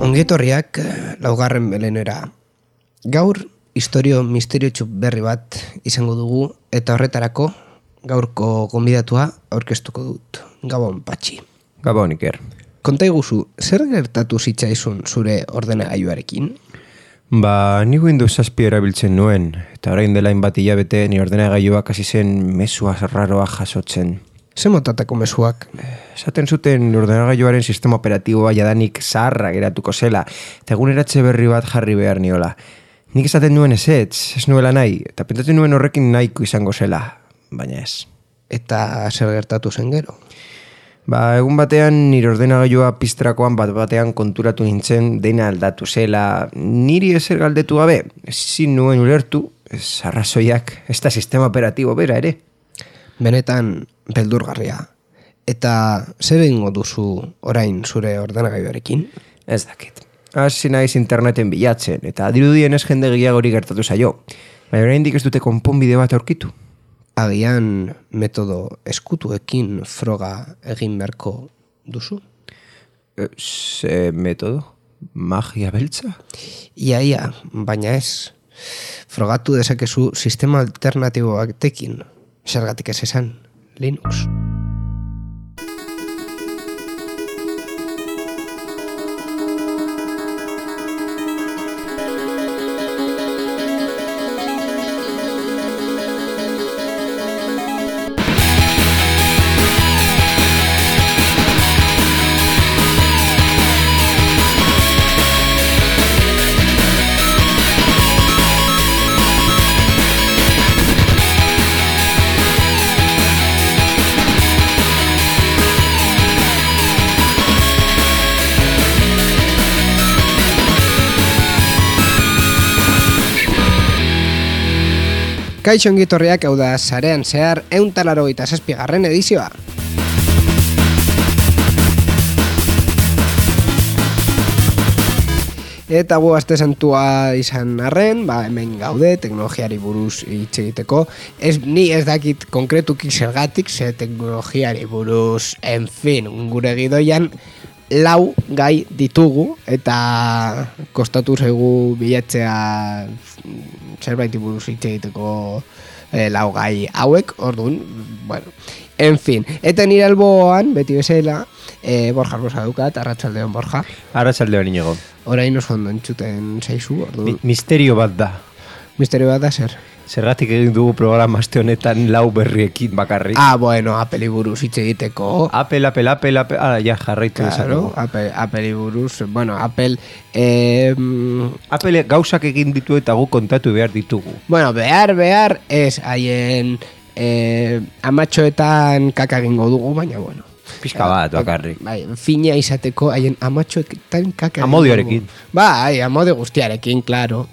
Ongietorriak laugarren belenera. Gaur, istorio misteriotsu berri bat izango dugu eta horretarako gaurko gonbidatua aurkeztuko dut. Gabon, Patxi. Gabon, Iker. Konta iguzu, zer gertatu zitzaizun zure ordenagailuarekin? Ni Windows 7 erabiltzen nuen, eta orain dela hainbat hilabete ni ordenagailuak hasi zen mesua raroa jasotzen. Ze motatako mezuak? Esaten zuten ordenagailuaren sistema operatiboa jadanik zaharra geratuko zela, eta eguneratze berri bat jarri behar niola. Nik esaten nuen ez nuela nahi, eta pentsatzen nuen horrekin nahiko izango zela, baina ez. Eta zer gertatu zen gero? Egun batean nire ordenagailua pizterakoan batean konturatu nintzen dena aldatu zela, niri ezer galdetu gabe, ezin nuen ulertu, ez arrazoiak, ez da sistema operatibo bera ere. Benetan beldurgarria. Eta zer egingo duzu orain zure ordenagailuarekin? Ez dakit. Hasi naiz interneten bilatzen, eta dirudien ez jende gehiagori gertatu zaio. Baina oraindik ez dute konponbide bat aurkitu. Agian metodo eskutuekin froga egin beharko duzu? Ze metodo? Magia beltza? Ia, baina ez. Frogatu dezakezu sistema alternatibo batekin. Zergatik ez esan, Linux. Kaixo ongitorriak, hau da sarean zehar 187. edizioa. Eta aste santua izan arren, hemen gaude, teknologiari buruz hitz egiteko. Ni ez dakit konkretuki zergatik, ze teknologiari buruz, en fin, gure gidoian, 4 gai ditugu, eta kostatu zaigu bilatzea zerbait buruz hitz egiteko 4 gai hauek, orduan, bueno, en fin. Eta nire alboan, beti bezala, Borja Arbosa daukat, arratsaldeon Borja. Arratsaldeon Inigo. Orain oso ondo entzuten zaizu, orduan. Misterio bat da. Misterio bat da zer? Zergatik egin dugu programa aste honetan 4 berriekin bakarrik. Bueno, Apple buruz hitz egiteko. Apple, ja, jarraitu claro, Apple buruz, bueno, Apple... Apple gauzak egin ditu eta gu kontatu behar ditugu. Bueno, behar, ez, haien amatxoetan kaka egingo dugu, baina, bueno. Pizka bat, bakarrik. Fina izateko haien amatxoetan kaka egingo dugu. Amodioarekin. Amodio guztiarekin, claro.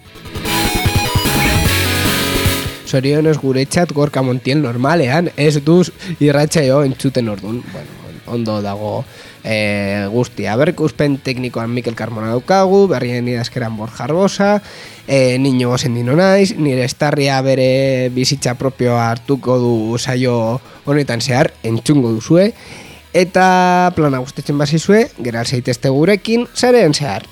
Zorionez gure txat Gorka Montiel normalean, ez duz irratsaio entzuten orduan. Bueno, ondo dago guztia. Berrikuspen teknikoan Mikel Carmona daukagu, berrien idazkeran Borja Arbosa, Niño Gosendino naiz, nire estarria bere bizitza propioa hartuko du saio honetan zehar, entzungo duzue, eta plana gustatzen bazizue, geral zaitezte gurekin, sarean zehar.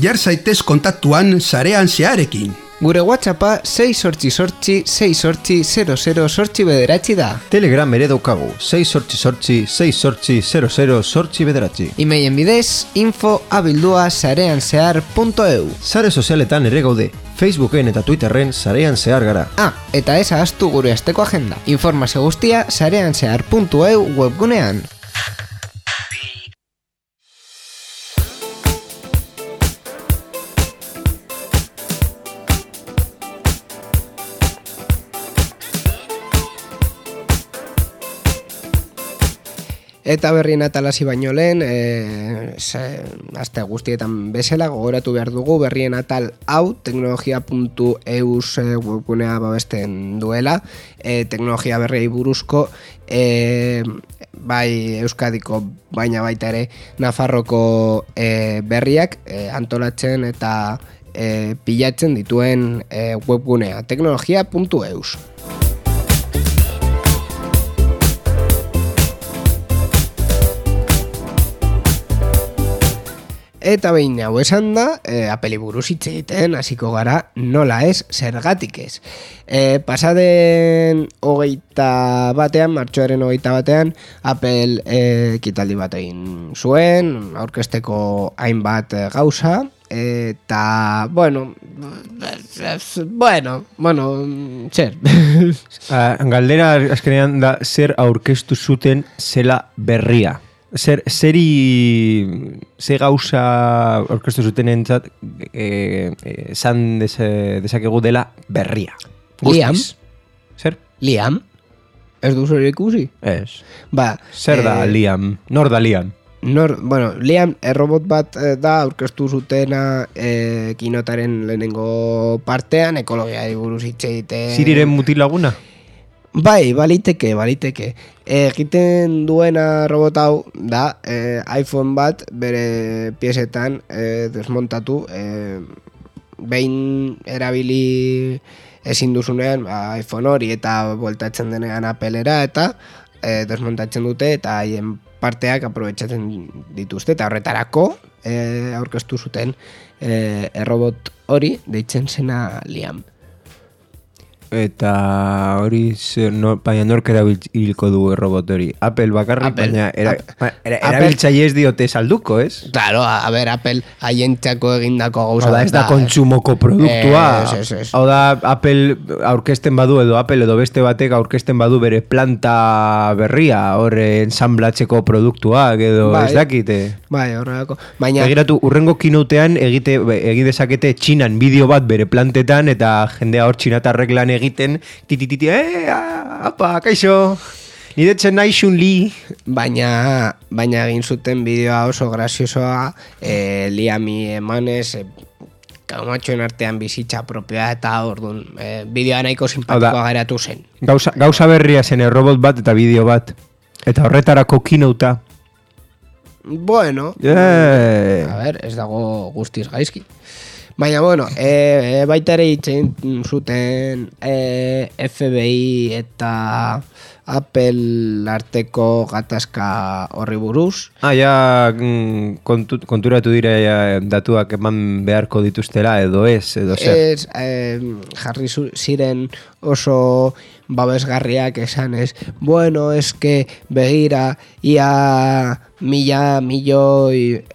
Jar zaitez kontaktuan sarean zeharekin. Gure WhatsAppa 688-688-00-bederatzi da. Telegram ere daukagu, 688-688-00-bederatzi. Emailen bidez, info@sareanzehar.eu. Sare sozialetan ere gaude, Facebooken eta Twitterren sarean zehar gara. Eta ez ahaztu gure asteko agenda. Informazio guztia sareanzehar.eu webgunean. Eta berrien atalasi baino lehen, aste guztietan bezala, gogoratu behar dugu berrien atal hau teknologia.eus webgunea babesten duela, teknologia berriei buruzko, bai Euskadiko baina baita ere Nafarroko berriak antolatzen eta pilatzen dituen webgunea teknologia.eus. Eta behin hau esan da, Appleri buruz hitz egiten hasiko gara nola ez, zergatik ez. Pasaden martxoaren 21, Apple ekitaldi bat egin zuen, aurkezteko hainbat gauza, eta, bueno, zer. Galdera azkenean da zer aurkeztu zuten zela berria. Ze gauza orkestu zuten entzat esan dezakegu dela berria. Liam? Zer? Liam? Ez duzu ere ikusi? Ez. Ba, Zer da Liam? Nor da Liam? Liam errobot bat da aurkeztu zutena kinotaren lehenengo partean, ekologiari buruz hitz egiten. Siriren mutilaguna? Bai, baliteke. Egiten duena robot hau da iPhone bat bere piezetan desmontatu, behin erabili ezin duzunean iPhone hori eta bueltatzen denean Applera eta desmontatzen dute eta haien parteak aprobetxatzen dituzte eta horretarako aurkeztu zuten errobot hori deitzen zena Liam. Eta hori baina nork erabiliko du robot hori. Apple bakarrik, baina erabiltzaile ez diote salduko, ez? Claro, a ver, Apple haientzako egindako gauza. Oda, ez da kontsumoko produktua. Ez. Oda, Apple aurkezten badu edo Apple edo beste batek aurkezten badu bere planta berria, hor ensamblatzeko produktuak edo ez dakite. Bai, horrelako. Baina begiratu, urrengo keynotean egi dezakete Txinan bideo bat bere plantetan eta jendea hor txinatarrek lan egiten, apa, kaixo, niretzen nahi Xun-Li. Baina egin zuten bideoa oso graziosoa, Liami emanez, kaumatxoen artean bizitza propioa eta orduan, bideoa nahiko simpatikoa geratu zen. Gauza berria zen robot bat eta bideo bat, eta horretarako keynotea. Bueno, a ver, ez dago guztiz gaizki. Baina, bueno, baita ere hitzen zuten FBI eta Apple arteko gatazka horri buruz. Ja, konturatu dira datuak eman beharko dituztela edo ez, edo zer. Jarri ziren oso babesgarriak esan ez. Bueno, eske begira, ia milioi...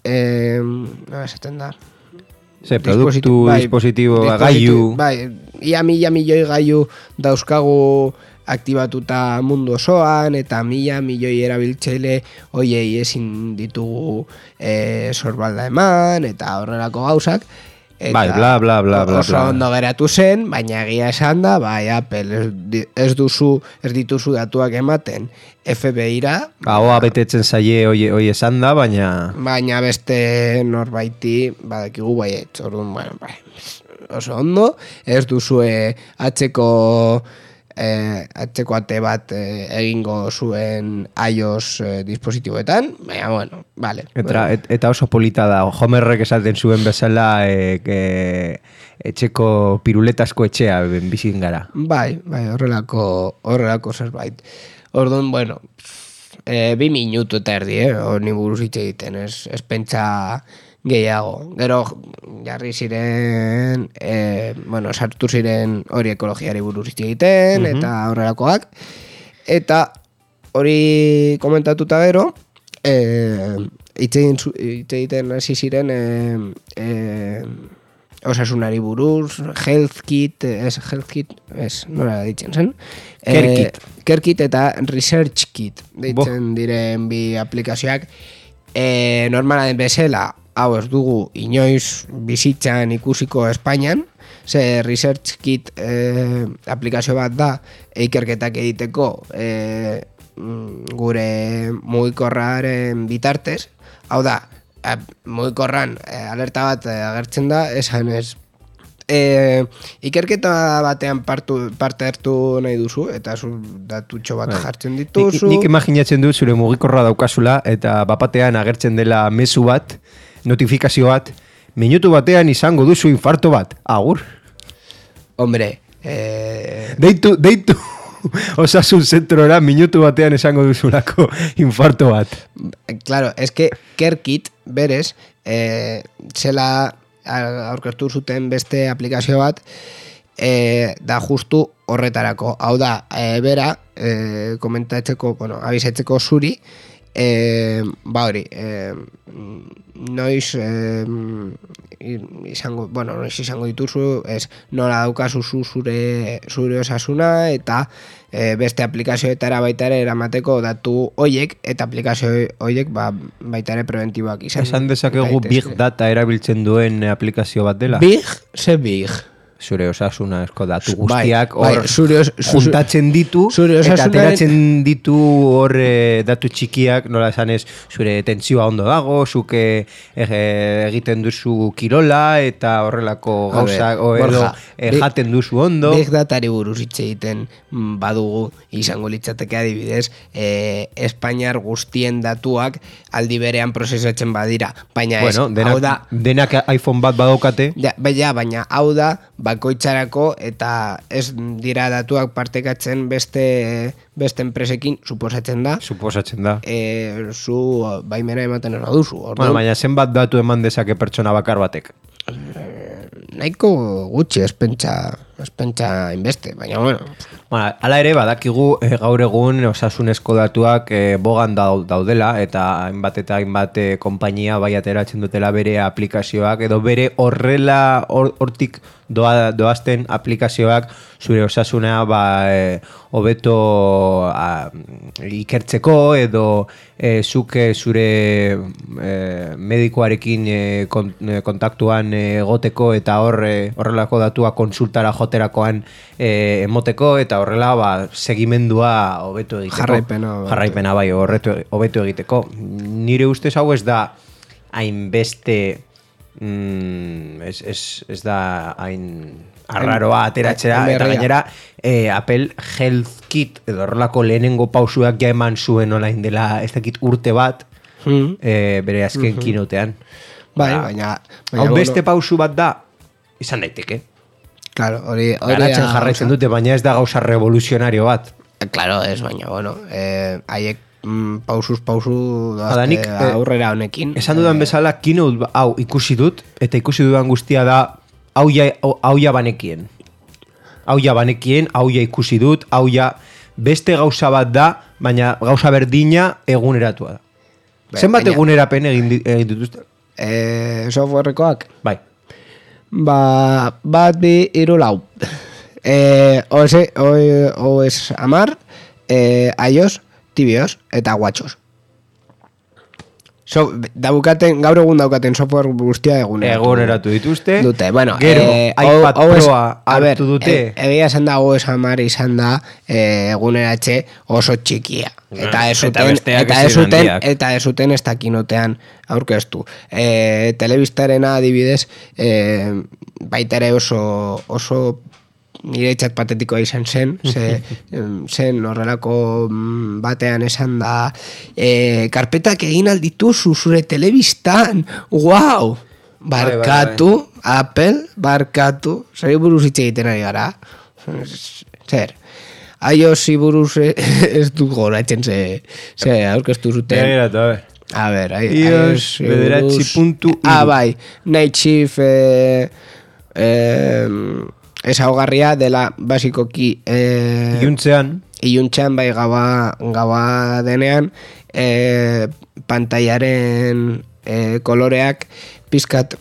esaten da produktu, dispositibo, gailu. Bai, ia milioi gailu dauzkagu aktibatuta mundu osoan eta milioi erabiltzaile hoiei ezin ditugu sorbalda eman eta horrelako gauzak. Bai, bla, bla, bla, bla. Oso ondo geratu zen, baina egia esan da, bai, Apple ez dituzu datuak ematen FBI-ra. Hoa betetzen zaie hoi esan da, baina... Baina beste norbaiti, badakigu baiet, orduan, bueno, bai, oso ondo, ez duzue atzeko ate bat egingo zuen iOS dispositiboetan, baina, bueno, vale. Eta oso polita da, Homerrek esaten zuen bezala etxeko piruletasko etxea bizin gara. Bai, horrelako zerbait. Orduan, bueno, 2 minutu eta erdi, honi buruz hitz egiten, ez pentsa gehiago. Gero jarri ziren, sartu ziren hori ekologiari buruz hitz egiten, eta horrelakoak. Eta hori komentatuta gero, hitz egiten hasi ziren osasunari buruz, health kit, nola ditzen zen? Care kit eta research kit, ditzen diren bi aplikazioak. Normala den bezala, hau ez dugu inoiz bizitzan ikusiko Espainian, ze research kit aplikazio bat da ikerketak egiteko gure mugikorraren bitartez, hau da, mugikorran alerta bat agertzen da, esan ez, ikerketa batean parte hartu nahi duzu, eta zu datutxo bat jartzen dituzu. Nik imaginatzen dut zure mugikorra daukazula, eta bapatean agertzen dela mezu bat, notifikazio bat, minutu batean izango duzu infarto bat, agur. Hombre, Deitu osasun zentrora minutu batean esango duzulako infarto bat. Claro, es que Kerkit berez, zela aurkeztu zuten beste aplikazio bat, da justu horretarako. Hau da, bera, komentatzeko, abizetzeko zuri, hori, noiz izango dituzu, nola daukazu zure osasuna, eta beste aplikazioetara baita ere eramateko datu hoiek, eta aplikazio hoiek baita ere preventiboak izan. Esan dezakegu Big Data erabiltzen duen aplikazio bat dela? Big? Ze Big? Zure osasuna esko datu guztiak hor juntatzen ditu eta ateratzen ditu hor datu txikiak, nola esanez, zure tentsioa ondo dago, zuke egiten duzu kirola eta horrelako gauza edo jaten duzu ondo. Big Datari buruz hitz egiten badugu izango litzateke adibidez, Espainiar guztien datuak aldi berean prozesatzen badira, baina denak iPhone bat badaukate. Baina hau da bakoitzarako eta ez dira datuak partekatzen beste enpresekin, suposatzen da. Zu baimena ematen ez baduzu. Baina zenbat datu eman dezake pertsona bakar batek? Nahiko gutxi, ez pentsa inbeste, baina Hala ere, badakigu gaur egun osasunezko datuak bogan daudela, eta hainbat konpainia bai ateratzen dutela bere aplikazioak, edo bere horrela hortik doazten aplikazioak zure osasuna hobeto ikertzeko, edo zuk zure medikoarekin kontaktuan egoteko, eta horrelako datua konsultara joterakoan emoteko, eta horrela segimendua hobeto egiteko. Jarraipena bai, hobeto egiteko. Nire ustez hau ez da hainbeste ez da hain arraroa ateratzera, eta gainera Apple Health Kit edo horrelako lehenengo pausuak ja eman zuen olain dela ez dakit urte bat bere azken keynotean. Baina hau beste pausu bat da, izan daiteke. Claro, garatzen jarraitzen dute, baina ez da gauza revoluzionario bat. Claro, ez, baina, haiek pausu aurrera honekin. Esan dudan bezala, keynote hau ikusi dut, eta ikusi dudan guztia da hau ja banekien. Hau ja ikusi dut, hau ja beste gauza bat da, baina gauza berdina eguneratua da. Zenbat egunerapen egin dituzte? Softwarekoak? Bai. Bat, 2, 3, 4. OS 10, iOS, tvOS eta watchOS. Gaur egun daukaten software guztia eguneratu dituzte. Gero, iPad Proa hartu dute. Egia esan da OS 10 izan da eguneratxe oso txikia. Eta ez zuten ez dakinotean aurkeztu. Telebistarena adibidez, baita ere oso niretzat patetikoa izan zen horrelako batean esan da karpetak egin aldituzu zure telebistan, wow! Barkatu, Apple, barkatu, zer buruz hitz egiten ari gara? Zer? iOS buruz ez du goratzen ze aurkeztu zuten. A ver, iOS bederatzi.1 bai, Nightshift ezaugarria dela basikoki iluntzean bai gaua denean pantailaren koloreak pizkat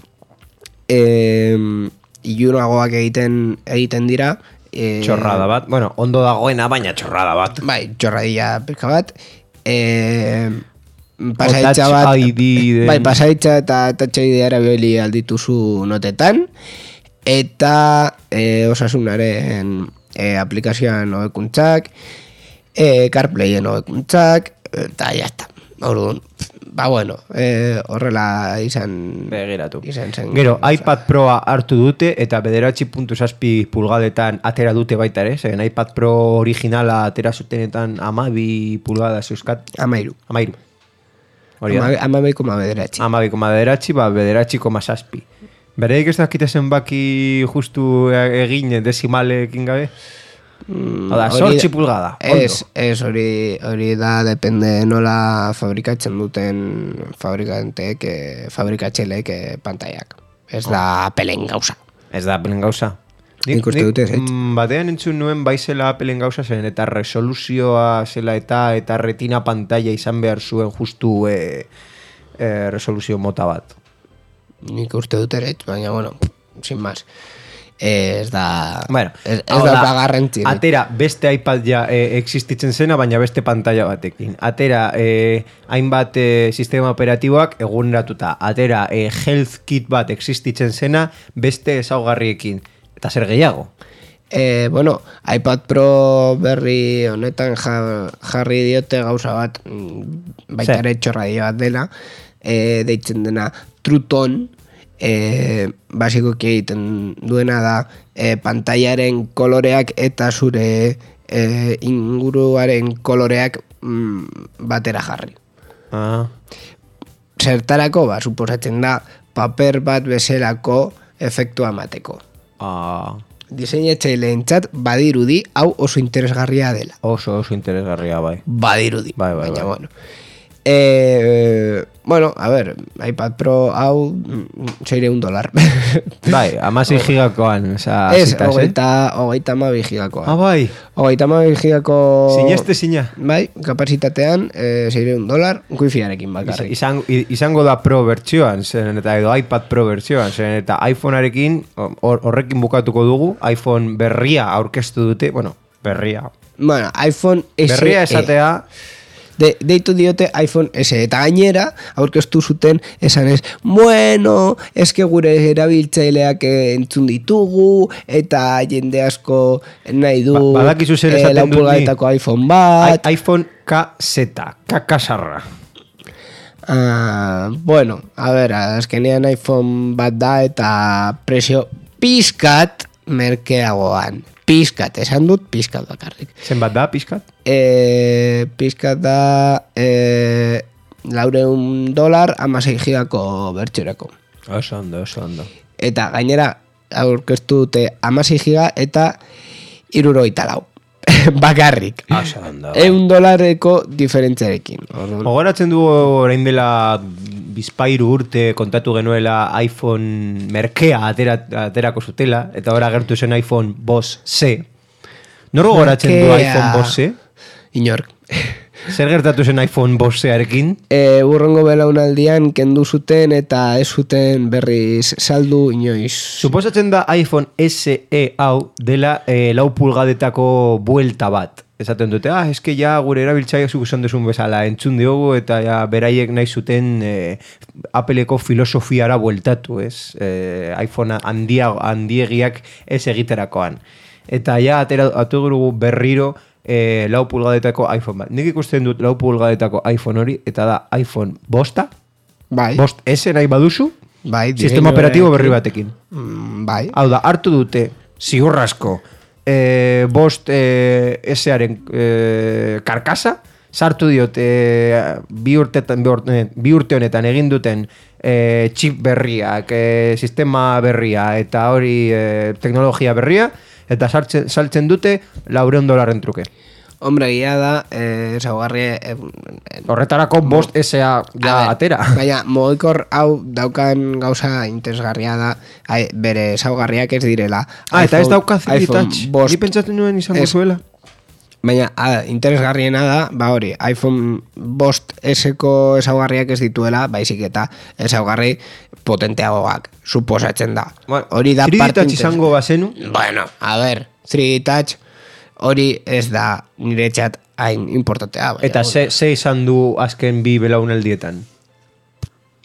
ilunagoak egiten dira. Txorrada bat, ondo dagoena, baina txorrada bat. Bai, txorradilla pizka bat. Pasaitza bat, bai, pasaitza eta Touch ID erabili aldituzu notetan. Eta osasunaren aplikazioan hobekuntzak, CarPlayen hobekuntzak, eta jazta. Orduan, bueno, horrela izan Begiratu. zen. Gero, iPad Proa hartu dute eta 9.7 pulgadetan atera dute baita ere, zen iPad Pro originala atera zutenetan 12 pulgada zeuzkat. 13. 13. Hori da? 12,9. 12,9, 9,7. Bereik ez dakite zenbaki justu egin desimalekin gabe? Oda, 8 pulgada. Ez, hori da, depende nola fabrikatzen duten fabrikatxelek pantaiak. Ez da Appleen gauza. Ez da Appleen gauza. Nik uste dute ez. Batean entzun nuen baizela Appleen gauza zen eta resoluzioa zela eta retina pantalla izan behar zuen justu resoluzio mota bat. Nik uste dut ere, baina, bueno, sin más. Ez da... Bueno, ez da garrantzi. Atera beste iPad ja existitzen zena, baina beste pantalla batekin. Atera hainbat sistema operatiboak eguneratuta. Atera health kit bat existitzen zena beste ezaugarriekin. Eta zer gehiago? Bueno, iPad Pro berri honetan jarri diote gauza bat, baita ere txorradio bat dela, deitzen dena True Tone, basikoki egiten duena da pantailaren koloreak eta zure inguruaren koloreak batera jarri. Zertarako, suposatzen da, paper bat bezalako efektua emateko. Diseinatzaileentzat badirudi hau oso interesgarria dela. Oso interesgarria, bai. Badirudi, baina bueno. Bueno, a ver, iPad Pro hau $600. Bai, 16 gigakoan. Ez, 32 gigakoan. Ah, bai. 32 gigako... Sina. Bai, kapazitatean $600, wifiarekin bakarrik. Izango da Pro bertsioan, zen eta edo iPad Pro bertsioan, zen eta iPhonearekin, horrekin bukatuko dugu, iPhone berria aurkeztu dute, bueno, berria. Bueno, iPhone SE. Berria esatea... Deitu diote iPhone SE eta gainera aurkeztu zuten esanez, bueno, eske gure erabiltzaileak entzun ditugu eta jende asko nahi du badakizu zer esaten dut ni iPhone bat iPhone KZ, kakasarra. Bueno, a ver, azkenean iPhone bat da eta prezio pizkat merkeagoan. Pizkat, esan dut pizkat bakarrik. Zenbat da pizkat? Pizkat da $400 16 gigako bertxorako. Oso ondo. Eta gainera aurkeztu dute 16 giga eta $74 bakarrik. Oso ondo. $1 diferentziarekin. Ogoratzen du orain dela bizpairu urte kontatu genuela iPhone merkea aterako zutela, eta ora agertu zen iPhone Boss C. Noro goratzen du iPhone Boss C? Inork. Zer gertatu zen iPhone Boss C-arekin? Urrengo belaunaldian kendu zuten eta ez zuten berriz saldu inoiz. Suposatzen da iPhone SE hau dela 4 pulgadetako buelta bat. Esaten dute, eske ja gure erabiltzaileak zuk esan duzun bezala entzun diogu eta ja beraiek nahi zuten Appleko filosofiara bueltatu, ez? iPhone handiegiak ez egiterakoan. Eta ja atugu berriro 4 pulgadetako iPhone bat. Nik ikusten dut 4 pulgadetako iPhone hori eta da iPhone bosta. Bai. Bost S nahi baduzu. Bai. Sistema operatibo berri batekin. Bai. Hau da, hartu dute ziurrasko bost S-aren karkasa, sartu diot bi urte honetan egin duten chip berriak, sistema berria eta hori teknologia berria, eta saltzen dute $400 truke. Hombre, guia da, ezaugarri... Horretarako bost S-a ja atera. Baina, mogikor hau daukan gauza interesgarria da, bere ezaugarriak ez direla. Eta ez dauka 3D Touch. Ni pentsatzen nuen izango zuela. Baina, interesgarriena da, hori, iPhone bost S-ko ezaugarriak ez dituela, baizik eta ezaugarri potenteagoak, suposatzen da. Hori da 3D Touch izango bazenu? Bueno, a ver, 3D Touch... Hori ez da niretzat hain importantea. Eta ze izan du azken bi belaunaldietan?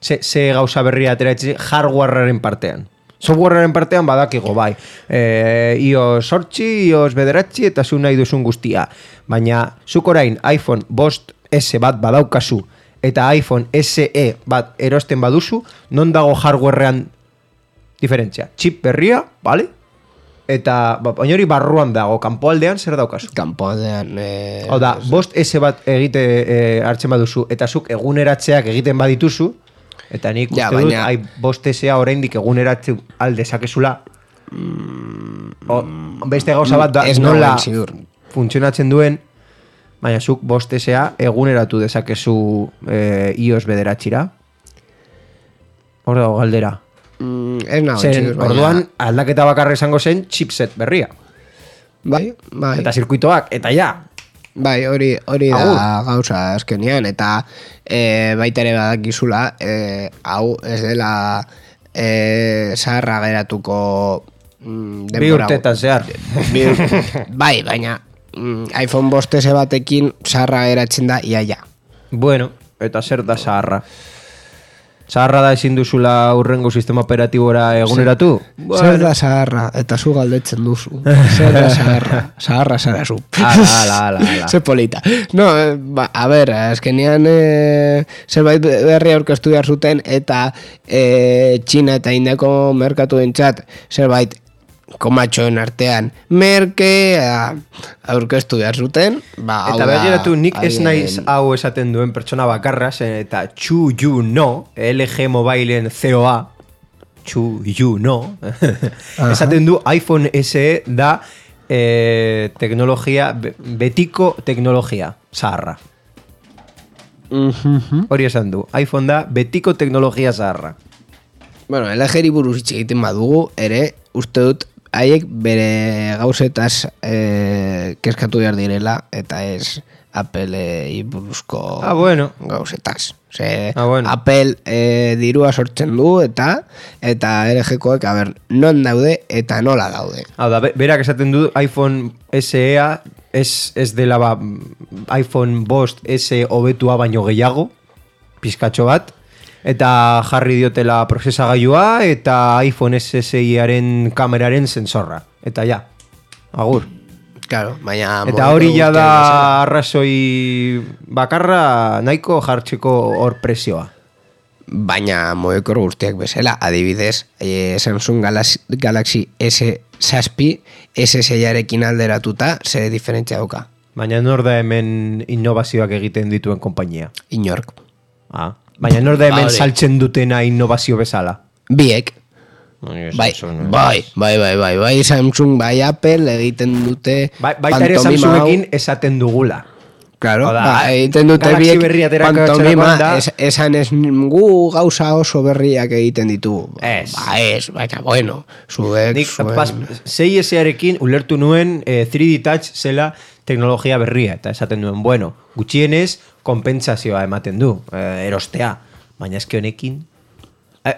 Ze gauza berria ateratzi hardwarearen partean? Softwarearen partean badakigo, bai. iOS 8, iOS 9 eta zu nahi duzun guztia. Baina, zuk orain iPhone bost S bat badaukazu eta iPhone SE bat erosten baduzu, non dago hardwarean diferentzia? Chip berria, vale? Eta baina hori barruan dago, kanpoaldean zer daukazu? Kanpoaldean... Hau da, bost S bat hartzen baduzu, eta zuk eguneratzeak egiten badituzu, eta nik uste dut, bost S-a oraindik eguneratze aldezakezula. Beste gauza bat da, nola funtzionatzen duen, baina zuk bost S-a eguneratu dezakezu iOS bederatxira. Hor dago galdera. Orduan aldaketa bakarra izango zen chipset berria. Bai. Eta zirkuitoak, eta ja. Bai, hori da gauza azkenean, eta baita ere badakizula, hau ez dela zaharra geratuko bi urtetan zehar. Bai, baina iPhone 5S batekin zaharra geratzen da iaia. Bueno, eta zer da zaharra? Zaharra da ezin duzula urrengo sistema operatibora eguneratu? Zer da zaharra, eta zu galdetzen duzu. Zer da zaharra, zaharra zara zu. Ala. Zer polita. No, a ber, azkenean zerbait berri aurkeztu behar zuten, eta Txina eta Indiako merkatu entzat zerbait komatxoen artean merke aurkeztu behar zuten. Eta begiratu, nik ez naiz hau esaten duen pertsona bakarra, eta Chu You No, LG Mobileen COA, Chu You No, esaten du iPhone SE da teknologia, betiko teknologia, zaharra. Hori esan du, iPhone da betiko teknologia zaharra. Bueno, LG-ri buruz hitz egiten badugu, ere, uste dut, haiek bere gauzetaz kezkatu behar direla, eta ez Apple buruzko gauzetaz. Apple dirua sortzen du, eta LG-koek, non daude eta nola daude. Hau da, berak esaten du iPhone SE-a ez dela iPhone 5S hobetua baino gehiago, pizkatxo bat, eta jarri diotela prozesagailua eta iPhone SSI-aren kameraren sensorra. Eta ja, agur. Claro, baina... Eta hori ja da arrazoi bakarra nahiko jartzeko hor presioa. Baina moekor guztiak bezala, adibidez, Samsung Galaxy S6 S6-arekin alderatuta, zer diferentzia dauka. Baina nor da hemen innovazioak egiten dituen konpainia? Inork. Baina nor da hemen saltzen dutena innovazio bezala? Biek. Bai, Samsung, bai Apple egiten dute baita ere Samsungekin esaten dugula. Claro, egiten dute biek pantomima, esan ez gu gauza oso berriak egiten ditugu. Baina, bueno, zuek... 6S-arekin ulertu nuen 3D Touch zela teknologia berria, eta esaten duen, bueno, gutxienez konpentsazioa ematen du, erostea, baina eske honekin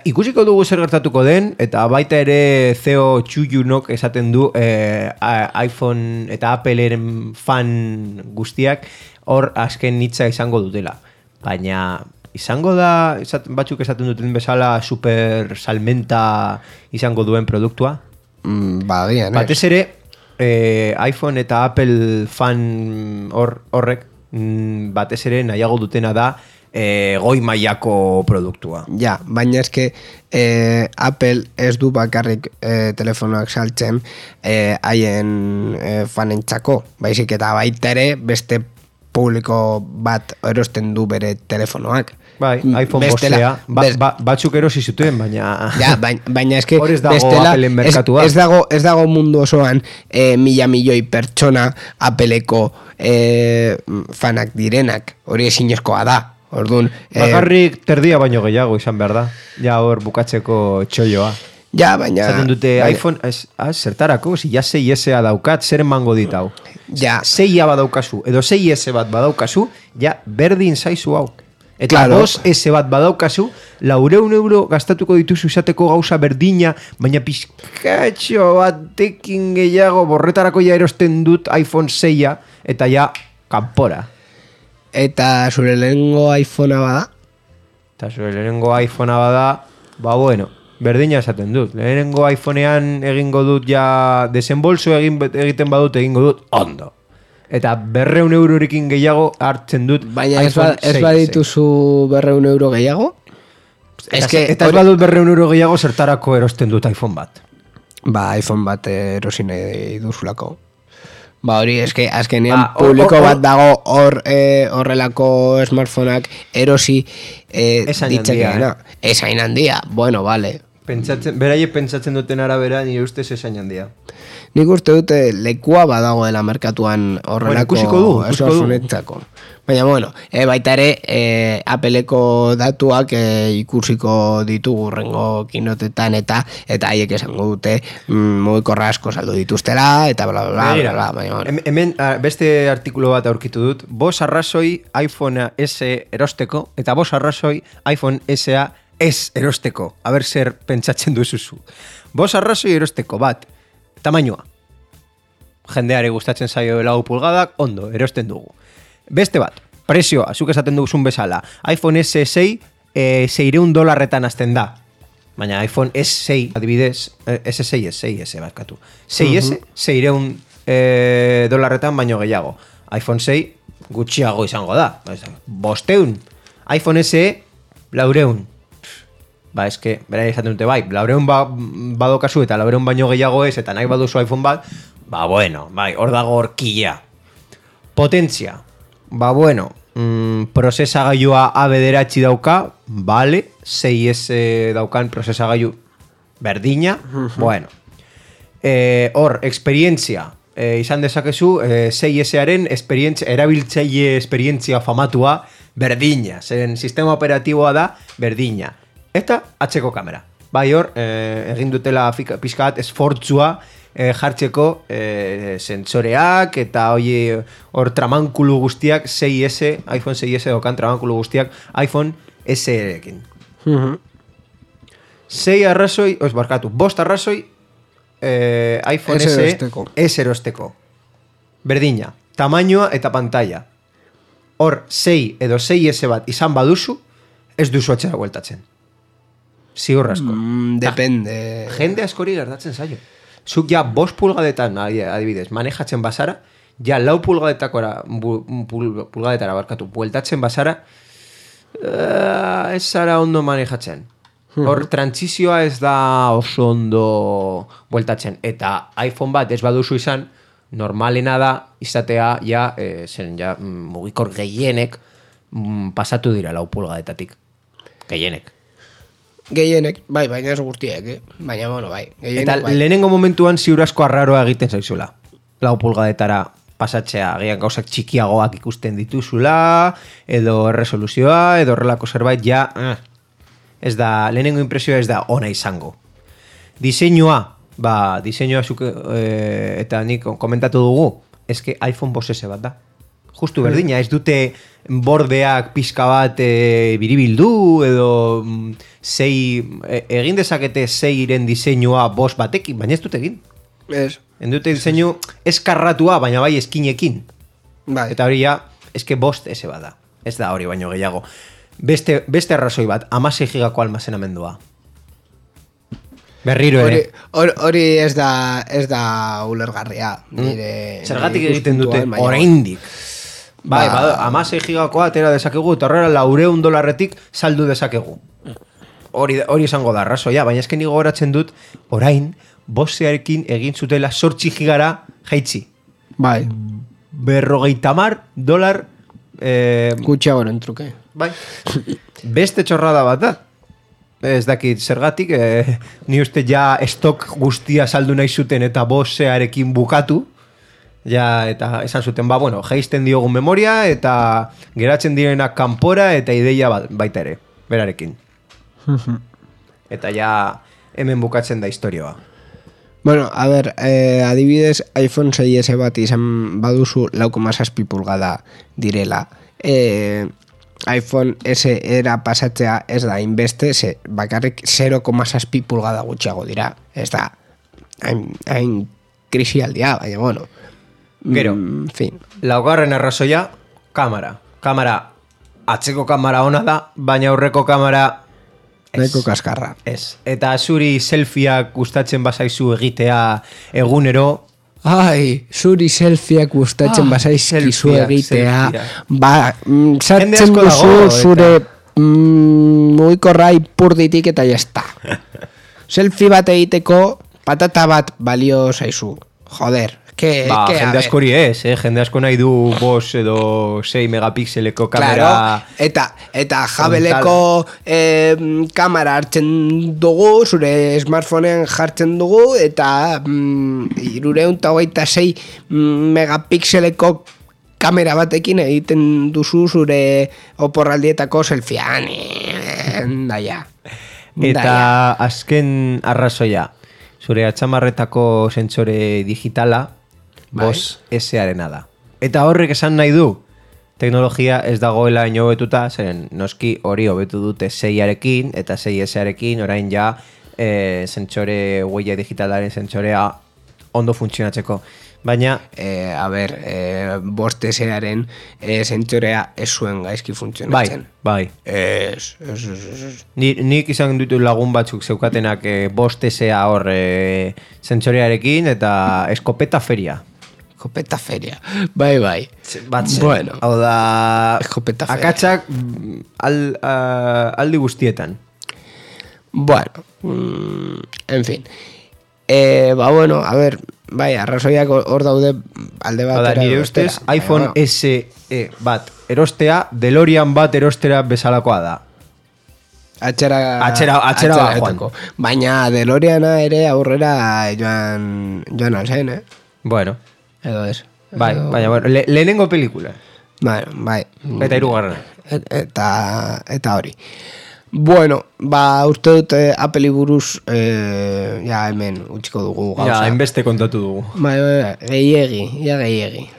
ikusiko dugu zer gertatuko den, eta baita ere CEO Chuyunok esaten du iPhone eta Appleren fan guztiak hor azken hitza izango dutela, baina izango da batzuk esaten duten bezala super salmenta izango duen produktua? Batez ere iPhone eta Apple fan horrek batez ere nahiago dutena da goi mailako produktua. Ja, baina eske Apple ez du bakarrik telefonoak saltzen haien fanentzako, baizik eta baita ere beste publiko bat erosten du bere telefonoak. Bai, iPhone 5 batzuk erosi zituen, baina... Ja, baina eske hor ez dago Appleen merkatua. Ez dago mundu osoan milioi pertsona Appleko fanak direnak, hori ezinezkoa da. Orduan, bakarrik terdia baino gehiago izan behar da. Ja hor bukatzeko txolloa. Ja, baina... Zaten dute iPhone, zertarako, si ja 6S-a daukat, zer emango ditau. Ja. 6A badaukazu, edo 6S bat badaukazu, ja berdin zaizu hau. Eta 2S bat badaukazu, 400 euro gastatuko dituzu izateko gauza berdina, baina pizkatxo batekin gehiago borretarako ja erosten dut iPhone 6A, eta ja kanpora. Eta zure lehenengo iPhonea bada? Eta zure lehenengo iPhonea bada, ba bueno, berdina esaten dut. Lehenengo iPhonean egingo dut ja desembolso egiten badut egingo dut ondo. Eta 200 eurorekin gehiago hartzen dut Baina iPhone ez 6. badituzu 200 euro gehiago? Eta ez badut 200 euro gehiago zertarako erosten dut iPhone bat. Ba, iPhone bat erosi nahi duzulako. Ba, hori, azkenean Ba, publiko bat dago horrelako smartphoneak erosi ditzakeena. Ez hain handia, bueno, vale. Beraiek pentsatzen duten arabera, nire ustez esain handia. Nik uste dute lekua badagoela merkatuan horrelako smartphoneentzako. Baina, bueno, baita ere, Appleko datuak ikusiko ditugu rengo kinotetan eta haiek esango dute mugikorra asko saldu dituztela, eta bla, bla, bla, bla, baina, bueno. Hemen beste artikulu bat aurkitu dut, 5 arrazoi iPhone S erosteko, eta 5 arrazoi iPhone SA ez erosteko. A ber zer pentsatzen duzuzu. 5 arrazoi erosteko, bat, tamainoa. Jendeari gustatzen zaio 4 pulgadak, ondo, erosten dugu. Beste bat, prezioa, zuk esaten duzun bezala. iPhone S6 $600 azten da. Baina iPhone S6, adibidez, S6 ez, 6S barkatu. 6S, $600 baino gehiago. iPhone 6 gutxiago izango da. 500. iPhone SE, 400. Ba, eske, bera izaten dute bai, 400 badokazu eta 400 baino gehiago ez, eta nahi baduzu iPhone bat, ba, bueno, bai, hor dago horkila. Potentzia. Ba, bueno, prozesagailua A9 dauka, vale, 6S daukan prozesagailu berdina, bueno. Hor, esperientzia, izan dezakezu, 6Saren erabiltzaile esperientzia famatua berdina, zeren sistema operatiboa da berdina. Eta atzeko kamera. Bai hor, egin dutela pixkat esfortzua jartzeko sentsoreak eta hor tramankulu guztiak 6S, iPhone 6S dokan tramankulu guztiak iPhone SE-ekin. 6 arrazoi, barkatu, 5 arrazoi iPhone SE ez erosteko. Berdina, tamainoa eta pantalla. Hor 6 edo 6S bat izan baduzu, ez duzu atxera bueltatzen. Ziur asko. Depende. Jende askori gertatzen zaio. Zuk ja 5 pulgadetan, adibidez, manejatzen bazara, ja 4 pulgadetara barkatu, bueltatzen bazara, ez zara ondo manejatzen. Hor, transizioa ez da oso ondo bueltatzen. Eta iPhone bat ez baduzu izan, normalena da izatea ja, mugikor gehienek pasatu dira 4 pulgadetatik. Gehienek, bai, baina ez guztiek, baina, bueno, bai. Eta lehenengo momentuan ziur asko arraroa egiten zaizula. 4 pulgadetara pasatzea, agian gauzak txikiagoak ikusten dituzula, edo resoluzioa, edo horrelako zerbait, ja, ez da, lehenengo impresioa ez da ona izango. Diseinua, diseinua eta nik komentatu dugu, eske iPhone 5S bat da. Justu berdina, ez dute bordeak pixka bat biribildu, edo egin dezakete 6-iren diseinua 5 batekin, baina ez dute egin. Ez. En dute diseinu eskarratua, baina bai eskinekin. Bai. Eta hori ja, eske 5S bat da. Ez da hori baino gehiago. Beste arrazoi bat, 16 gigako almazenamendua. Berriro ere. Hori ez da ulergarria. Zergatik egiten dute oraindik. Bai, 16 gigakoa atera dezakegu, eta horrela $400 saldu dezakegu. Hori izango da, arrazoia, baina esken gogoratzen dut, orain, 5Searekin egin zutela 8 gigara jaitzi. Bai. $50 gutxiagoren truke. Bai. Beste txorrada bat da. Ez dakit zergatik, ni uste ja estok guztia saldu nahi zuten eta 5Searekin bukatu. Ja, eta esan zuten, bueno, jaisten diogun memoria eta geratzen direnak kanpora eta ideia baita ere, berarekin. Eta ja hemen bukatzen da historioa. Bueno, a ver, adibidez iPhone 6S bat izan baduzu 4,7 pulgada direla. iPhone SE-era pasatzea ez da inbeste, bakarrik 0,7 pulgada gutxiago dira. Ez da, hain krisialdia, baina bueno. Gero, fin. Laugarren arrazoia, kamera. Kamera, atzeko kamera ona da, baina aurreko kamera nahiko kaskarra. Ez. Eta zuri selfieak gustatzen bazaizu egitea egunero, Ai, zuri selfieak gustatzen bazaizkizu selfieak, egitea. selfieak. Ba, Jende sartzen asko duzu dago, zure mugikorra ipurditik eta jazta. Selfie bat egiteko patata bat balio zaizu. Joder, jende askori ez, jende asko nahi du 5 edo 6 megapixeleko kamera. Claro, eta jabeleko kamera hartzen dugu, zure smartphoneen jartzen dugu, eta 326 megapixeleko kamera batekin egiten duzu zure oporraldietako selfiean. Daia. Eta azken arrazoia, zure atxamarretako sentsore digitala, Boss S-arena da. Eta horrek esan nahi du, teknologia ez dagoela ino hobetuta, zeren noski hori hobetu dute 6arekin eta 6S-arekin, orain ja sentsore huella digitalaren sentsorea ondo funtzionatzeko. Baina, Bost S-aren sentsorea ez zuen gaizki funtzionatzen. Bai. Nik izan ditu lagun batzuk zeukatenak Bost S-a hor sentsorearekin eta eskopeta feria. Escopeta feria. Bai. Batzen. Bueno. Hau da... Escopeta feria. Akatsak aldi guztietan. Bueno. En fin. Bueno, a ver... Bai, arrazoiak hor daude alde batera. Nire ustez, iPhone SE bat erostea, DeLorean bat erostera bezalakoa da. Atxera joan. Baina DeLoreana ere aurrera joan alzen, Bueno. Edo ez. Bai, baina, bueno, lehenengo pelikula. Bai. Eta hirugarrena. Eta hori. Bueno, uste dut Apple buruz ja hemen utziko dugu gauza. Ja, hainbeste kontatu dugu. Bai, gehiegi.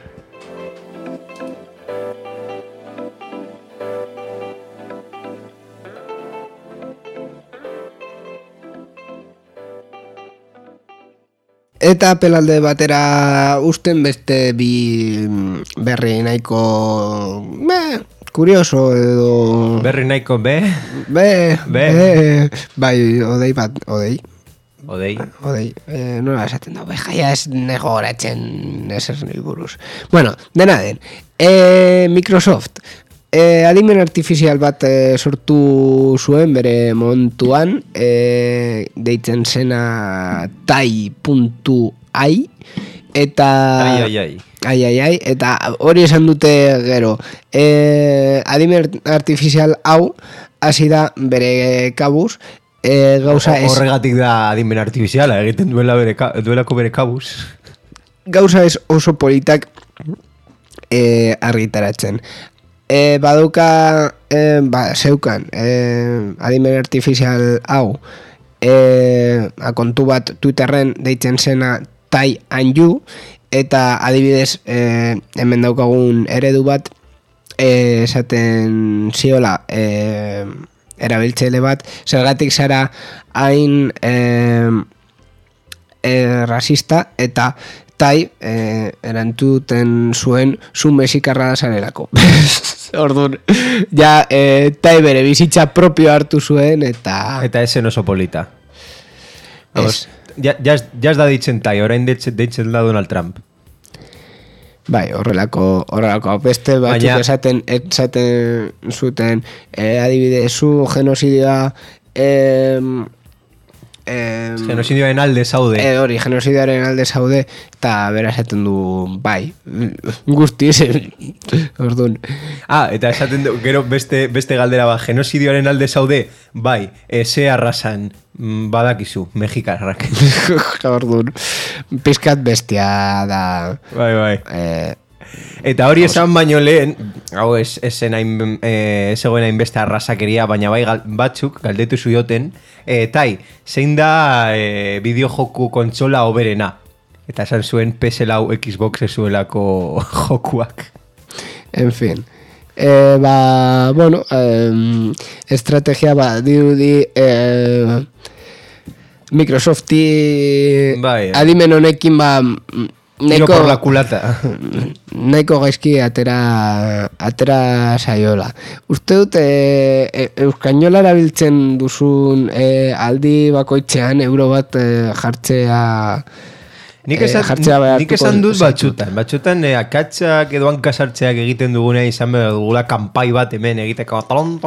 Eta Apple alde batera usten beste bi berri nahiko kurioso edo... Berri nahiko Bai, odei. Nola esaten da, jaia ez nego goratzen ezer nahi buruz. Bueno, dena den. Microsoft adimen artifizial bat sortu zuen bere montuan, deitzen zena tai.ai, eta... Ai, eta hori esan dute gero. Adimen artifizial hau hasi da bere kabuz, gauza ez... Horregatik da adimen artifiziala, egiten duelako bere kabuz. Gauza ez oso politak argitaratzen. Baduka zeukan adimen artifizial hau kontu bat Twitterren deitzen zena Tai and You, eta adibidez hemen daukagun eredu bat esaten ziola erabiltzaile bat, zergatik zara hain rasista, eta Tai erantuten zuen zu mexikarra zarelako. Orduan, ja Tai bere bizitza propio hartu zuen, eta esen oso polita. Ja ez da ditzen Tai, orain ditzen da Donald Trump. Bai, horrelako beste batzuk esaten zuten adibide zu genozidioa genozidioaren alde zaude. Hori, genozidioaren alde zaude, eta bera esaten du bai, guztiz, orduan. Eta esaten du, gero beste galdera bat, genozidioaren alde zaude, bai, ze arrasan badakizu, mexikarrak. Orduan, pizkat bestia da. Bai. Eta hori esan baino lehen, hau ezen hain beste arrasakeria, baina bai batzuk galdetu zioten, Tai, zein da bideojoku kontsola oberena? Eta esan zuen PS4 Xbox ezuelako jokuak. En fin. Bueno, estrategia dirudi Microsofti adimen honekin tiro por la culata. Nahiko gaizki atera saiola. Uste dut euskainola erabiltzen duzun aldi bakoitzean euro bat jartzea Nik jartzea behartuko esan dut zaitut. batzutan akatsak edo hankasartzeak egiten dugunean izan behar dugula kanpai bat hemen egiteko ton,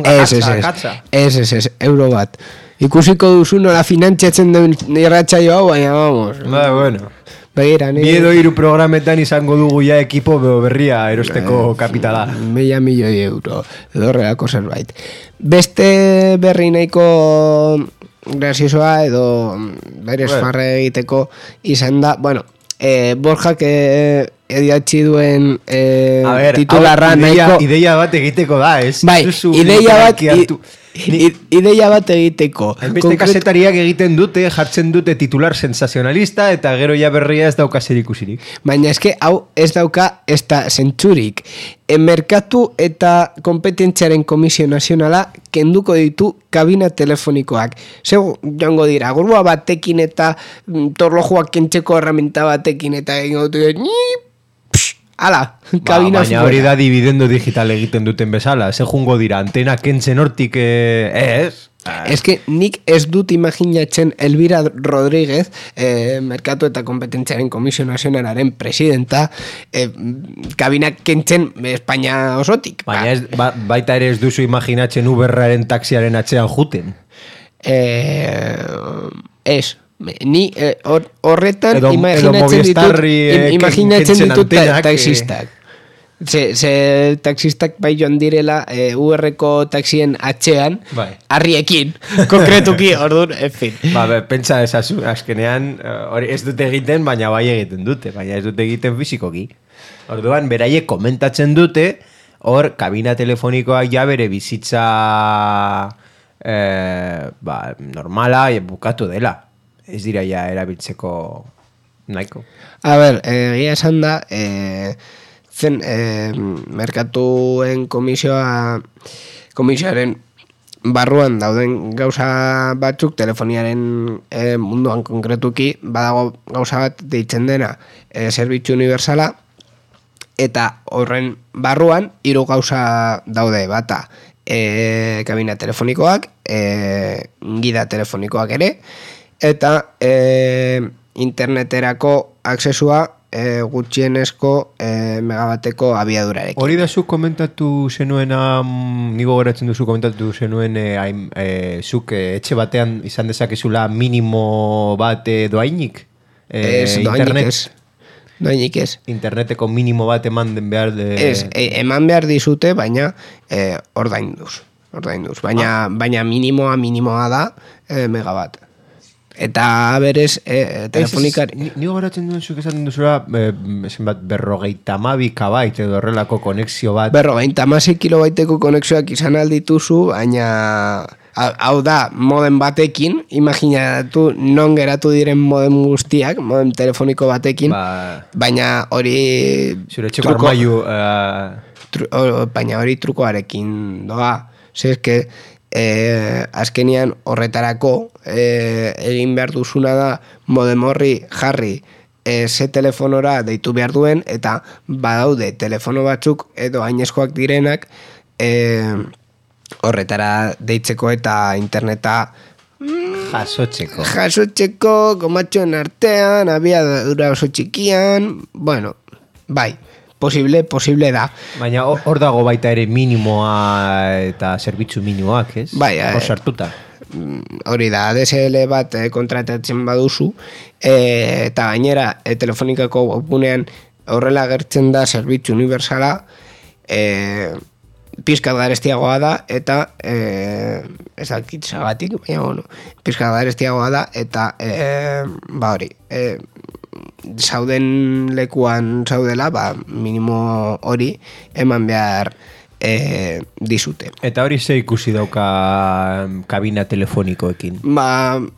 akatsa. Ez, euro bat. Ikusiko duzu nola finantziatzen den irratsaio hau, baina vamos. Bueno. Begira, Biedo hiru programetan izango dugu ja ekipo berria erosteko kapitala. 1.000 milioi euro, edo horrelako zerbait. Beste berri nahiko graziosoa edo berez farre egiteko izan da, bueno, Borjak idatzi duen titularra nahiko... Ideia bat egiteko da, ez? Bai, ideia bat egiteko. Beste kasetariak egiten dute, jartzen dute titular sensazionalista eta gero ja berria ez dauka zer ikusirik. Baina eske hau ez dauka ez da zentzurik. Merkatu eta kompetentziaren komisio nazionala kenduko ditu kabina telefonikoak. Zeu joango dira, grua batekin eta torlojuak kentzeko herramienta batekin eta egingo dute ala, kabina baina hori da dividendo digital egiten duten bezala. Ze jungo dira, antena kentzen hortik ez? Ez que nik ez dut imaginatzen Elvira Rodríguez, Merkatu eta Kompetentziaren Komisio Nazionalaren presidenta, kabinak kentzen Espainia osotik. Baina baita ere ez duzu imaginatzen Uberraren taxiaren atzean juten. Ez. Ni horretan edo imaginatzen ditut taxistak. Ze taxistak bai joan direla UR-ko taxien atxean, harriekin, konkretuki, orduan, en fin. Pentsa ezazu, azkenean, hori ez dute egiten, baina bai egiten dute, baina ez dute egiten fizikoki. Orduan, beraiek komentatzen dute, hor, kabina telefonikoak ja bere bizitza normala bukatu dela. Ez dira ja erabiltzeko nahiko. A ber, egia esan da, zen Merkatuen komisioaren barruan dauden gauza batzuk telefoniaren munduan konkretuki, badago gauza bat deitzen dena zerbitzu universala, eta horren barruan 3 gauza daude, bata kabina telefonikoak, gida telefonikoak ere, eta interneterako aksesua gutxienezko megabateko abiadurarekin. Hori da zuk komentatu zenuena, nigo geratzen duzu komentatu zenuen zuk etxe batean izan dezakezula minimo bat doainik? Doainik ez. Interneteko minimo bat eman behar Ez, eman behar dizute, baina ordainduz. Baina minimoa da megabat. Eta berez telefonikari... Nigo garatzen duen zuk esaten duzula zenbat 52 KB edo horrelako konexio bat. 56 kilobaiteko konexioak izan aldituzu, baina hau da modem batekin, imaginatu non geratu diren modem guztiak, modem telefoniko batekin, baina hori... Zure txeko armaiu... Baina hori trukoarekin doa. Zerke... azkenian horretarako egin behar duzuna da modem horri jarri ze telefonora deitu behar duen, eta badaude telefono batzuk edo hainezkoak direnak horretara deitzeko eta interneta jasotzeko komatxoen artean, abiadura oso txikian, bueno, bai, posible da. Baina hor dago baita ere minimoa eta zerbitzu minimoak, ez? Bai, hor sartuta. Hori da, ADSL bat kontratatzen baduzu, eta gainera telefonikako webgunean horrela agertzen da zerbitzu universala, pizkat garestiagoa da, eta ez dakit zagatik, baina bueno, pizkat garestiagoa da, eta hori, zauden lekuan zaudela, minimo hori eman behar dizute. Eta hori ze ikusi dauka kabina telefonikoekin?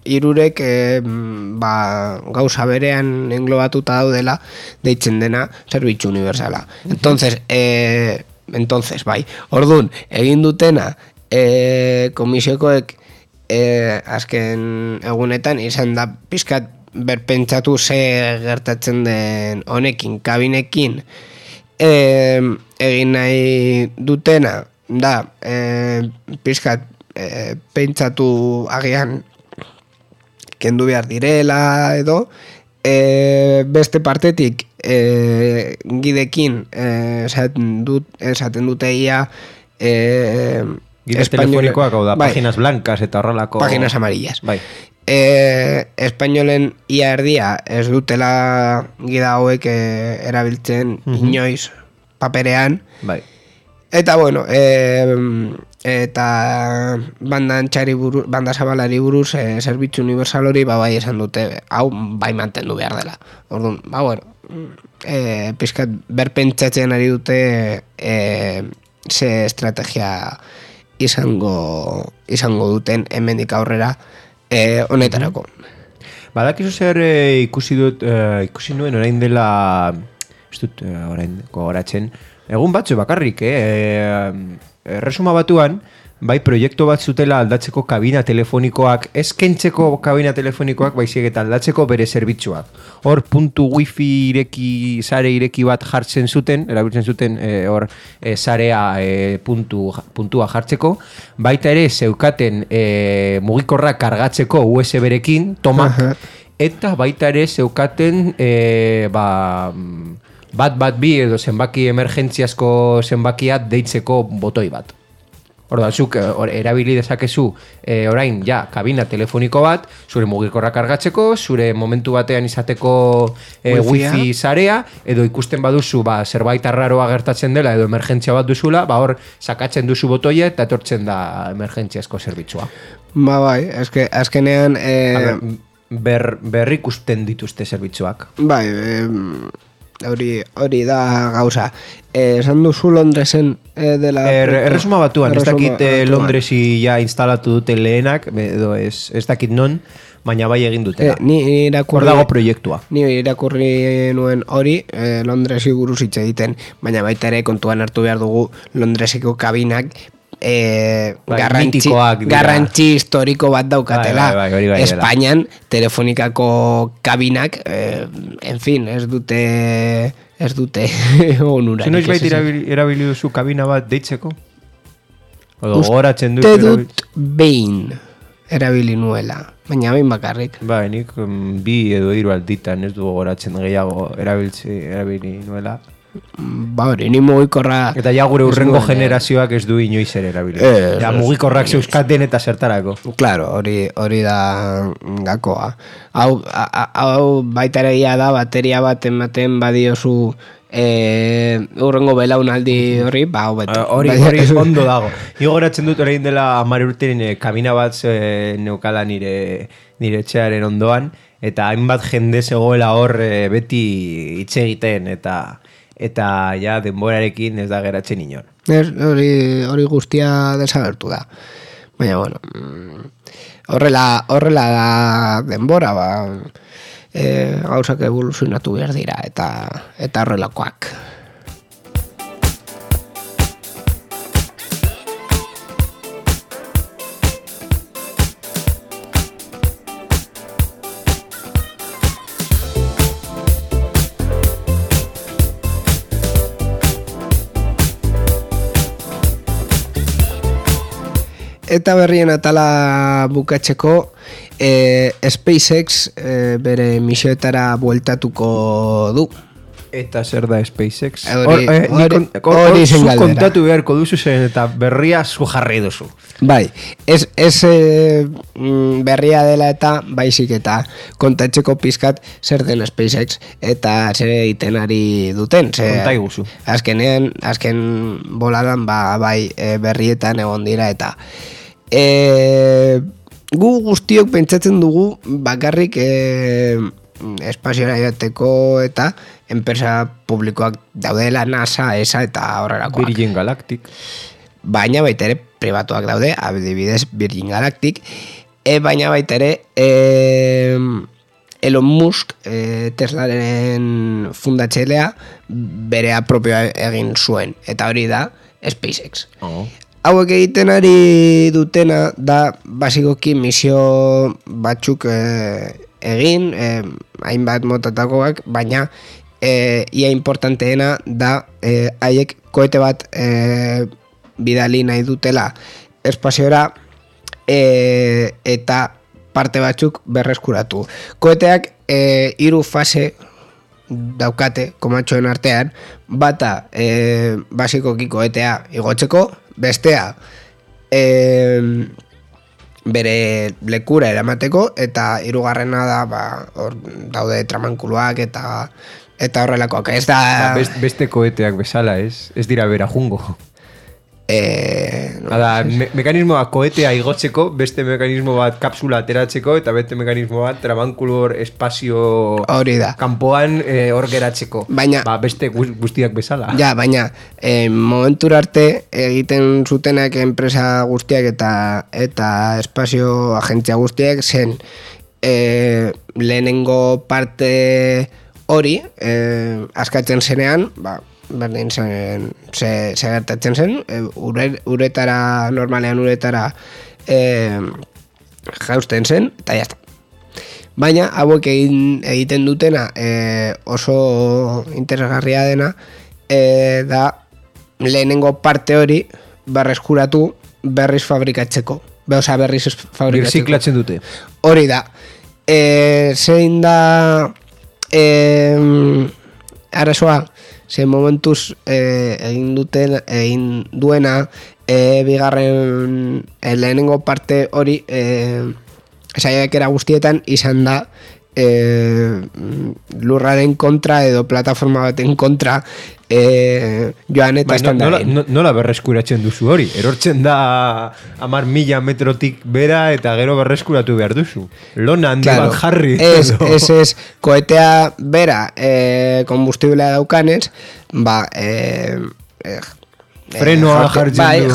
Hirurek gauza berean englobatuta daudela deitzen dena zerbitzu universala. Entonces, bai, orduan, egin dutena komisiokoek azken egunetan izan da pizkat berpentsatu ze gertatzen den honekin, kabinekin, egin nahi dutena da pizkat pentsatu agian kendu behar direla edo, beste partetik gidekin esaten dute ia Gide telefonikoak, hau da, páginas blancas eta horrelako... Páginas amarillas. Bai. Espainolen ia erdia ez dutela gida hauek erabiltzen inoiz paperean. Bai. Eta bueno, eta banda zabalari buruz zerbitzu universal hori bai esan dute, hau bai mantendu behar dela. Orduan, bueno, pizkat berpentsatzen ari dute ze estrategia izango duten hemendik aurrera honetarako. Badakizu zer ikusi nuen orain dela, ez dut orain gogoratzen, egun batzu bakarrik, Erresuma Batuan, bai proiektu bat zutela aldatzeko kabina telefonikoak, ez kentzeko kabina telefonikoak, baizik eta aldatzeko bere zerbitzuak. Hor puntu wifi sare ireki bat jartzen zuten, erabiltzen zuten hor sarea puntua jartzeko, baita ere zeukaten mugikorra kargatzeko USB-rekin, eta baita ere zeukaten bat bi edo zenbaki emergentziazko zenbakia deitzeko botoi bat. Orda, zuk erabili dezakezu orain ja kabina telefoniko bat, zure mugikorra kargatzeko, zure momentu batean izateko wifi sarea, edo ikusten baduzu zerbait arraroa gertatzen dela edo emergentzia bat duzula, hor sakatzen duzu botoia eta etortzen da emergentziazko zerbitzua. Bai, azkenean... Berrikusten dituzte zerbitzuak. Bai, hori da gauza. Esan duzu Londresen dela... Erresuma Batuan, ez dakit Londresi ja instalatu dute lehenak, edo ez dakit non, baina bai egin dutela. Hor dago proiektua. Ni irakurri nuen hori, Londresi buruz hitz egiten, baina baita ere kontuan hartu behar dugu Londreseko kabinak garrantzi historiko bat daukatela. Bai, Espainian telefonikako kabinak en fin, ez dute onura. Noiz bait erabili duzu kabina bat deitzeko? Odo goratzen dut dut behin erabili nuela, baina behin bakarrik. Bai, nik bi edo hiru alditan ez du goratzen gehiago erabili nuela. Hori, ni mugikorra... Eta ja gure urrengo generazioak ez du inoiz ere erabili. Ja mugikorrak zeuzkaten eta zertarako. Claro, hori da gakoa. Hau baita ere da bateria bat ematen badiozu urrengo belaunaldi horri, hori ondo dago. Ni goratzen dut orain dela 10 urtean kabina bat neukala nire etxearen ondoan, eta hainbat jende zegoela hor beti hitz egiten eta ja denborarekin ez da geratzen inor. Hori guztia desagertu da. Baina, bueno, horrela da denbora, gauzak evoluzionatu behar dira, eta horrelakoak. Eta berrien atala bukatzeko, SpaceX bere misioetara bueltatuko du. Eta zer da SpaceX? Hori zen galdera. Kontatu beharko duzu zen eta berria zu jarri duzu. Bai, ez berria dela eta baizik eta kontatzeko pizkat zer den SpaceX eta zer egiten ari duten. Konta iguzu. Azken boladan bai berrietan egon dira eta gu guztiok pentsatzen dugu bakarrik espaziora joateko eta enpresa publikoak daudela NASA, ESA eta horrelakoak. Virgin Galactic. Baina baita ere pribatuak daude, adibidez Virgin Galactic, baina baita ere Elon Musk, Teslaren fundatzailea, berea propioa egin zuen, eta hori da SpaceX. Hauek egiten ari dutena da basikoki misio batzuk egin, hainbat motatakoak, baina ia importanteena da haiek koete bat bidali nahi dutela espaziora eta parte batzuk berreskuratu. Koeteak 3 fase daukate komatxoen artean, bata basikoki koetea igotzeko, bestea bere lekura eramateko, eta hirugarrena da hor daude tramankuluak eta horrelakoak. Ez da... Beste koeteak bezala, ez? Ez dira bera jungo. Mekanismoa koetea igotzeko, beste mekanismo bat kapsula ateratzeko, eta beste mekanismo bat tramankulu hor espazio kanpoan hor geratzeko. Baina, beste guztiak bezala. Ja, baina momentura arte egiten zutenak enpresa guztiak eta espazio agentzia guztiak zen lehenengo parte hori askatzen zenean, berdin zen, ze gertatzen zen, uretara, normalean uretara jausten zen, eta jazta. Baina, hauek egiten dutena oso interesgarria dena, da lehenengo parte hori berreskuratu berriz fabrikatzeko. Berriz fabrikatzeko. Birziklatzen dute. Hori da. Zein da arazoa, ze momentuz egin duena bigarren lehenengo parte hori saiakera guztietan izan da lurraren kontra edo plataforma baten kontra joan eta estandarin. Nola berreskuratzen duzu hori? Erortzen da 10.000 metrotik bera eta gero berreskuratu behar duzu. Lona handi bat jarri. Ez, koetea bera kombustiblea daukanez, frenoa jartzen du.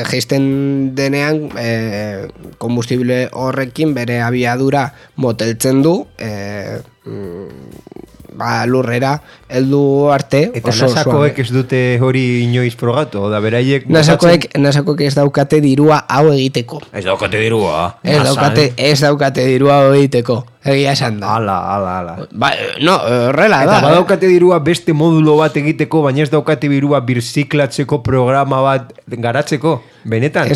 Jaisten denean kombustible horrekin bere abiadura moteltzen du lurrera heldu arte. Eta nasakoek ez dute hori inoiz frogatu? Beraiek nasakoek ez daukate dirua hau egiteko. Ez daukate dirua? Ez daukate dirua hau egiteko. Egia esan da. Ala. No, horrela da. Eta badaukate dirua beste modulo bat egiteko, baina ez daukate dirua birziklatzeko programa bat garatzeko. Benetan,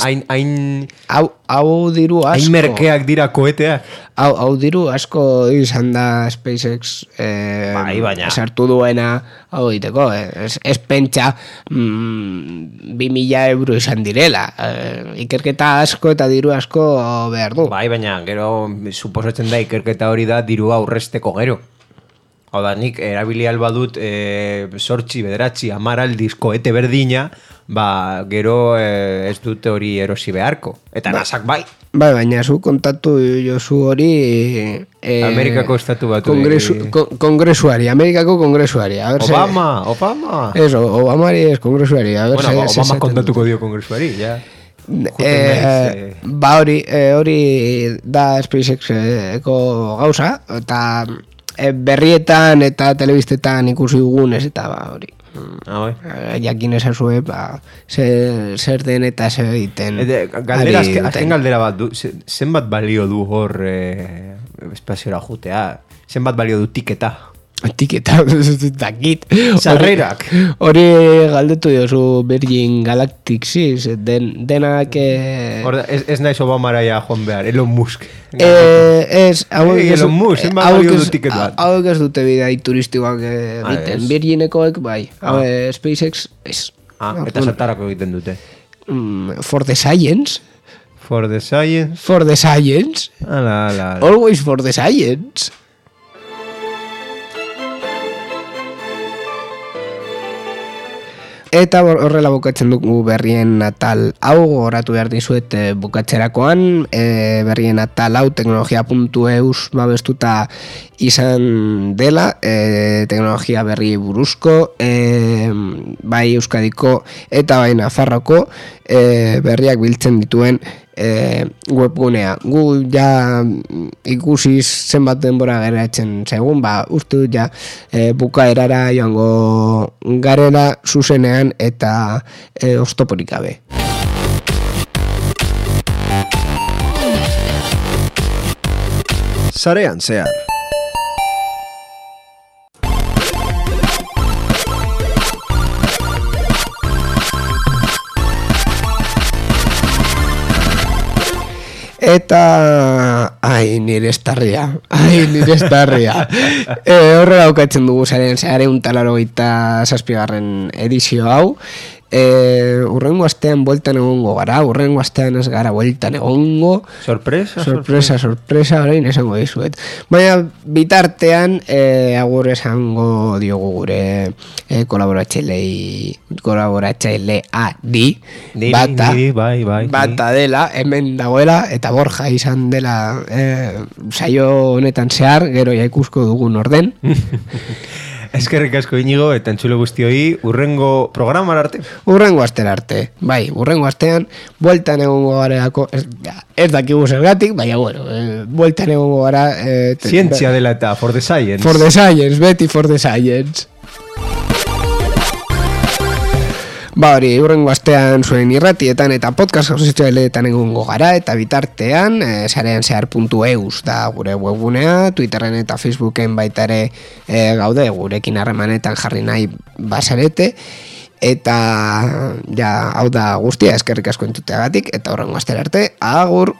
hau diru asko. Hain merkeak dira koeteak. Hau diru asko izan da SpaceX sartu duena hau egiteko. Ez pentsa 2.000 euro izan direla. Ikerketa asko eta diru asko behar du. Baina gero suposatzen da ikerketa hori da dirua aurresteko gero. Hau da, nik erabili alba dut 8, 9, 10 aldiz koete berdina, gero ez dute hori erosi beharko. Eta nasak bai. Baina zu kontatu jozu hori Amerikako estatu batu kongresuari, Amerikako kongresuari. Obama. Eso, Obamari ez kongresuari. Obama kontatuko dio kongresuari, ja. Hori da SpaceX-eko gauza, eta berrietan eta telebistetan ikusi dugunez, eta hori. Jakin ezazue, zer den eta zer egiten. Azken galdera bat du, zenbat balio du hor espaziora jutea? Zenbat balio du tiketa? Tiketa, dakit. Sarrerak. Hori galdetu jozu Virgin Galactic, denak... Ez naiz Obamaraia joan behar, Elon Musk. Elon Musk, zenbat balio du tiket bat? Hauek ez dute bidai turistikoak egiten, Virginekoek bai. SpaceX ez. Eta zertarako egiten dute? For the science. For the science? For the science. Ala. Always for the science. Eta horrela bukatzen dugu berrien atal hau, goratu behar dizuet bukatzerakoan, berrien atal hau teknologia.eus babestuta izan dela, teknologia berri buruzko, bai Euskadiko eta bai Nafarroko berriak biltzen dituen webgunea. Gu ja ikusiz zenbat denbora geratzen segun, uste ja bukaerara joango garela zuzenean eta oztoporik gabe. Sarean zehar. Eta nire estarria. Horrela aukatzen dugu zaren 187. edizio hau. Urrengo astean bueltan egongo gara, urrengo astean ez gara bueltan egongo. Sorpresa, orain esango dizuet. Baina bitartean agur esango diogu gure kolaboratzaileari bata dela, hemen dagoela, eta Borja izan dela saio honetan zehar, gero ja ikusko dugun orden. Eskerrik asko Inigo, eta entzulo guztioi, urrengo programar arte. Urrengo astera arte, bai, urrengo astean, bueltan egongo gareako, ez dakigu zergatik, baina, bueno, bueltan egongo gara... Zientzia dela eta, for the science. For the science, beti for the science. Ba hori, urrengo astean zuen irratietan eta podcast sozialetan egongo gara, eta bitartean, sareanzehar.eus da gure webgunea, Twitterren eta Facebooken baita ere gaude, gurekin harremanetan jarri nahi basarete, eta ja, hau da guztia, eskerrik asko entuteagatik, eta urrengo astera arte, agur!